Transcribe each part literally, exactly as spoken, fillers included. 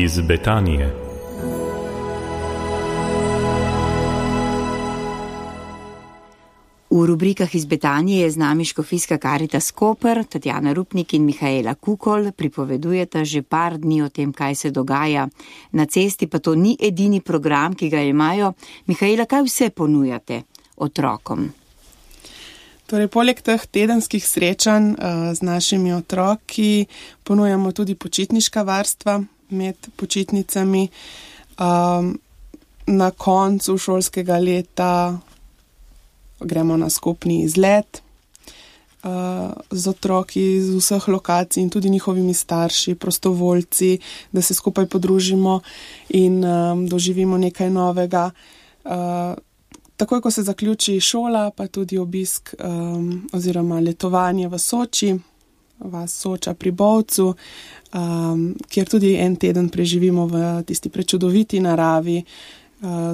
iz Betanije. V rubrikah iz Betanije je z nami škofijska Karitas Koper, Tatjana Rupnik in Mihaela Kukol, pripovedujeta že par dni o tem, kaj se dogaja na cesti, pa to ni edini program, ki ga imajo. Mihaela, kaj vse ponujate otrokom? Torej, poleg teh tedenskih srečanj uh, z našimi otroki ponujamo tudi počitniška varstva med počitnicami. Um, na koncu šolskega leta gremo na skupni izlet uh, z otroki z vseh lokacij in tudi njihovimi starši, prostovoljci, da se skupaj podružimo in um, doživimo nekaj novega. Uh, takoj, ko se zaključi šola, pa tudi obisk um, oziroma letovanje v Soči, vas Soča pri Bovcu, um, kjer tudi en teden preživimo v tisti prečudoviti naravi,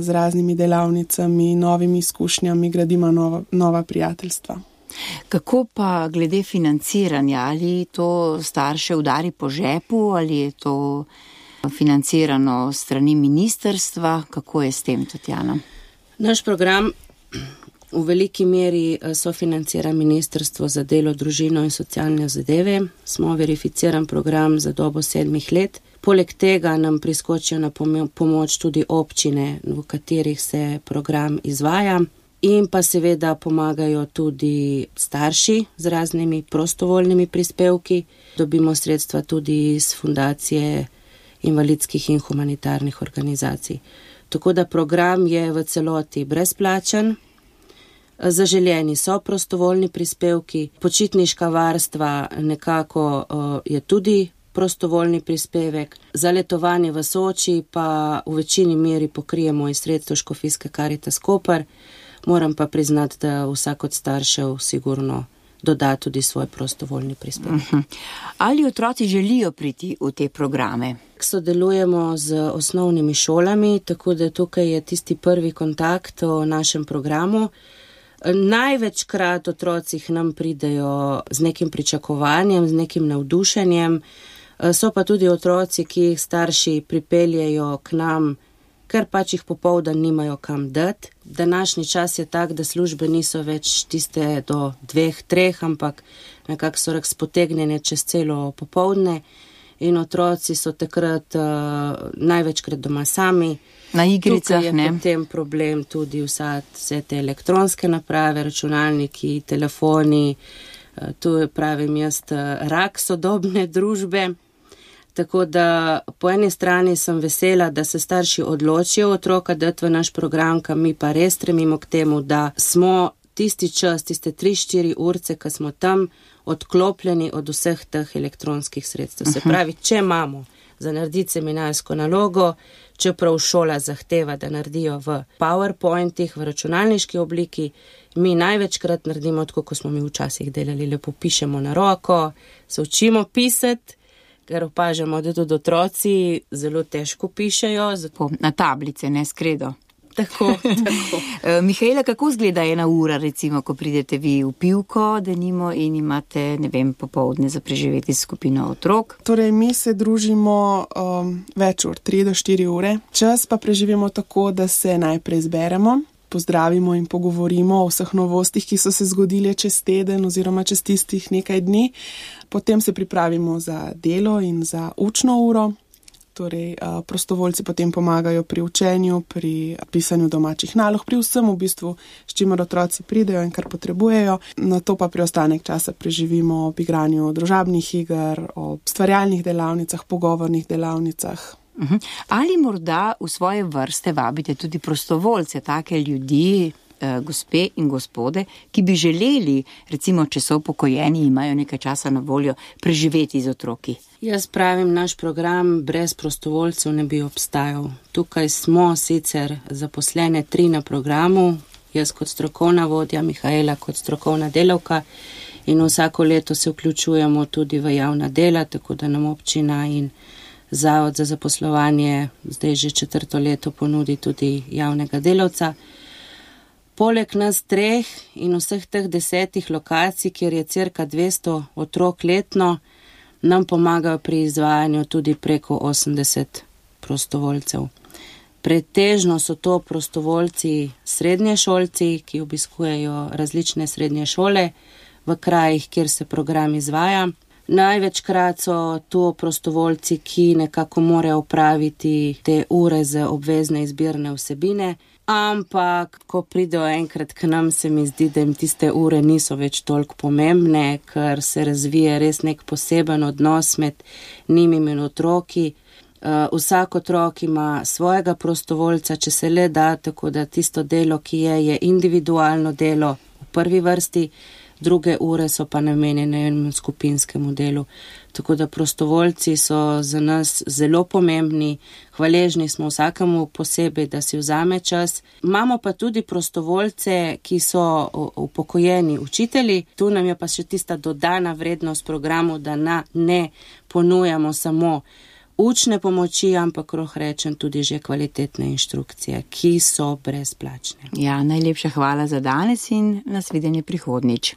z raznimi delavnicami, novimi izkušnjami, gradimo nova, nova prijateljstva. Kako pa glede financiranja? Ali to starše udari po žepu, ali je to financirano strani ministrstva? Kako je s tem, Tatjana? Naš program v veliki meri sofinancira Ministrstvo za delo, družino in socialne zadeve. Smo verificiran program za dobo sedmih let. Poleg tega nam priskočijo na pomoč tudi občine, v katerih se program izvaja, in pa seveda pomagajo tudi starši z raznimi prostovoljnimi prispevki. Dobimo sredstva tudi iz fundacije invalidskih in humanitarnih organizacij. Tako da program je v celoti brezplačen. Zaželjeni so prostovoljni prispevki, počitniška varstva nekako uh, je tudi prostovoljni prispevek. Za letovanje v Soči pa v večini meri pokrijemo iz sredstev škofijske Karitas Koper. Moram pa priznati, da vsak od staršev sigurno doda tudi svoj prostovoljni prispevek. Uh-huh. Ali otroci želijo priti v te programe? Sodelujemo z osnovnimi šolami, tako da tukaj je tisti prvi kontakt o našem programu. Največkrat otroci k nam pridejo z nekim pričakovanjem, z nekim navdušenjem. So pa tudi otroci, ki jih starši pripeljejo k nam, ker pač jih popoldan nimajo kam dati. Današnji čas je tak, da službe niso več tiste do dveh, treh, ampak nekako so razpotegnjene čez celo popoldne in otroci so takrat uh, največkrat doma sami. Na igricah, ne? Tukaj je potem problem tudi vsa, vse te elektronske naprave, računalniki, telefoni, uh, tu je, pravim jaz, rak sodobne družbe. Tako da po eni strani sem vesela, da se starši odločijo otroka dati v naš program, kam mi pa res stremimo k temu, da smo tisti čas, tiste tri, štiri urce, ko smo tam odklopljeni od vseh teh elektronskih sredstev. Se pravi, če imamo za narediti seminarsko nalogo, čeprav šola zahteva, da naredijo v PowerPointih, v računalniški obliki, mi največkrat naredimo tako, kot smo mi včasih delali, lepo pišemo na roko, se učimo pisati, ker opažamo, da tudi otroci zelo težko pišejo. Zato... Na tablice, ne skredo. Tako, tako. Mihaela, kako izgleda ena ura, recimo, ko pridete vi v pivko, denimo, in imate, ne vem, popoldne za preživeti skupino otrok? Torej, mi se družimo um, več ur, tri do štiri ure. Čas pa preživimo tako, da se najprej zberemo, pozdravimo in pogovorimo o vseh novostih, ki so se zgodile čez teden oziroma čez tistih nekaj dni. Potem se pripravimo za delo in za učno uro. Torej, prostovoljci potem pomagajo pri učenju, pri pisanju domačih nalog, pri vsem v bistvu, s čimer otroci pridejo in kar potrebujejo. Na to pa preostanek časa preživimo ob igranju družabnih iger, ob stvarjalnih delavnicah, pogovornih delavnicah. Uh-huh. Ali morda v svoje vrste vabite tudi prostovoljce, take ljudi, eh, gospe in gospode, ki bi želeli, recimo, če so upokojeni, imajo nekaj časa na voljo, preživeti z otroki? Jaz pravim, naš program brez prostovoljcev ne bi obstajal. Tukaj smo sicer zaposlene tri na programu, jaz kot strokovna vodja, Mihaela kot strokovna delavka, in vsako leto se vključujemo tudi v javna dela, tako da nam občina in Zavod za zaposlovanje zdaj že četrto leto ponudi tudi javnega delavca. Poleg nas treh in vseh teh desetih lokacij, kjer je cirka dvesto otrok letno, nam pomagajo pri izvajanju tudi preko osemdeset prostovoljcev. Pretežno so to prostovoljci srednješolci, ki obiskujejo različne srednje šole v krajih, kjer se program izvaja. Največkrat so to prostovoljci, ki nekako morajo opraviti te ure za obvezne izbirne vsebine, ampak ko pridejo enkrat k nam, se mi zdi, da jim tiste ure niso več toliko pomembne, ker se razvije res nek poseben odnos med njimi in otroki. Uh, vsak otrok ima svojega prostovoljca, če se le da, tako da tisto delo, ki je, je individualno delo v prvi vrsti, druge ure so pa namenjene skupinskemu delu. Tako da prostovoljci so za nas zelo pomembni, hvaležni smo vsakemu posebej, da si vzame čas. Imamo pa tudi prostovoljce, ki so upokojeni učitelji. Tu nam je pa še tista dodana vrednost programu, da na, ne ponujamo samo učne pomoči, ampak roh rečem tudi že kvalitetne inštrukcije, ki so brezplačne. Ja, najlepša hvala za danes in nasvidenje prihodnič.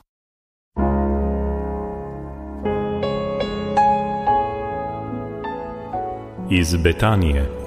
Iz Betanije.